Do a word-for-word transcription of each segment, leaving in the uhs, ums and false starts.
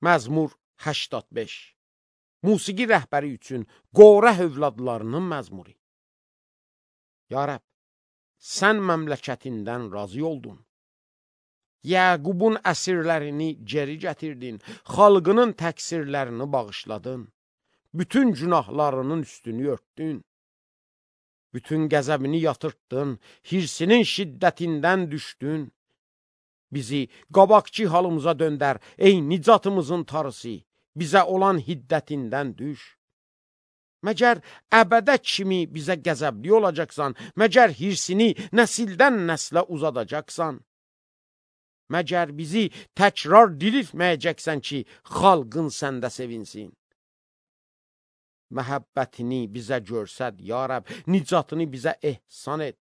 Məzmur səksən beş. Musiqi rəhbəri üçün Qorah övladlarının məzmuru. Ya Rəbb, sən məmləkətindən razı oldun. Yəqubun əsirlərini geri gətirdin, xalqının təqsirlərini bağışladın, bütün günahlarının üstünü örtdün, bütün qəzəbini yatırtdın, hirsinin şiddətindən düşdün. Bizi qabaqçı halımıza döndər, ey nicatımızın tarısı, bizə olan hiddətindən düş. Məgər əbədə kimi bizə qəzəbli olacaqsan, məgər hirsini nəsildən nəslə uzadacaqsan, məgər bizi təkrar diriltməyəcəksən ki, xalqın səndə sevinsin. Məhəbbətini bizə görsəd, ya Rəbb, nicatını bizə ehsan et.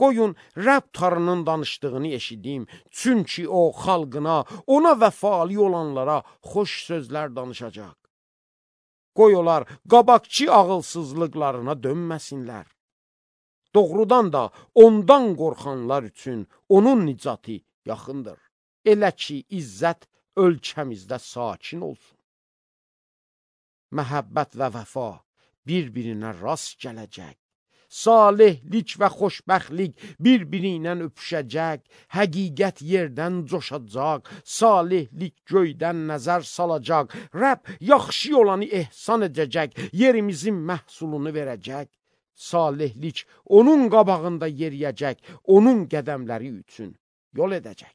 Qoyun, Rəbb tarının danışdığını eşidim, çünki o xalqına, ona vəfalı olanlara xoş sözlər danışacaq. Qoy onlar qabaqçı ağılsızlıqlarına dönməsinlər. Doğrudan da ondan qorxanlar üçün onun nicatı yaxındır. Elə ki, izzət ölkəmizdə sakin olsun. Məhəbbət və vəfa bir-birinə rast gələcək. Salihlik və xoşbəxtlik bir-biri ilə öpüşəcək, həqiqət yerdən coşacaq, salihlik göydən nəzər salacaq, Rəbb yaxşı olanı ehsan edəcək, yerimizin məhsulunu verəcək, salihlik onun qabağında yeriyəcək, onun qədəmləri üçün yol edəcək.